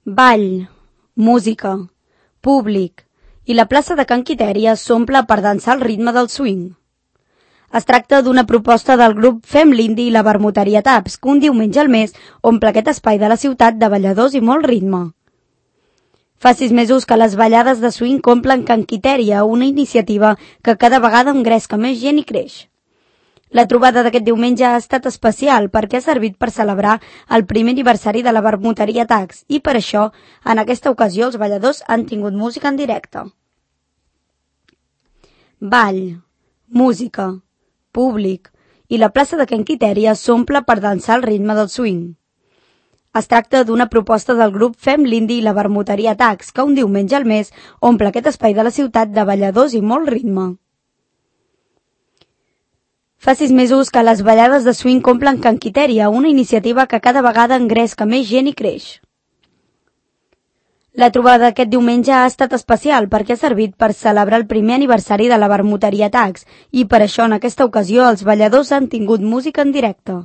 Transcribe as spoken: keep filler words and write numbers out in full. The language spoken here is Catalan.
Ball, música, públic i la plaça de Can Quitèria s'omple per dansar al ritme del swing. Es tracta d'una proposta del grup Fem l'Indi i la Vermuteria Taps, que un diumenge al mes omple aquest espai de la ciutat de balladors i molt ritme. Fa sis mesos que les ballades de swing omplen Can Quitèria, una iniciativa que cada vegada engresca més gent i creix. La trobada d'aquest diumenge ha estat especial perquè ha servit per celebrar el primer aniversari de la Vermuteria Taps i per això, en aquesta ocasió, els balladors han tingut música en directe. Ball, música, públic i la plaça de Can Quitèria s'omple per dansar al ritme del swing. Es tracta d'una proposta del grup Fem l'Indi i la Vermuteria Taps, que un diumenge al mes omple aquest espai de la ciutat de balladors i molt ritme. Fa sis mesos que les ballades de swing omplen Can Quitèria, una iniciativa que cada vegada engresca més gent i creix. La trobada d'aquest diumenge ha estat especial perquè ha servit per celebrar el primer aniversari de la Vermuteria Taps i per això en aquesta ocasió els balladors han tingut música en directe.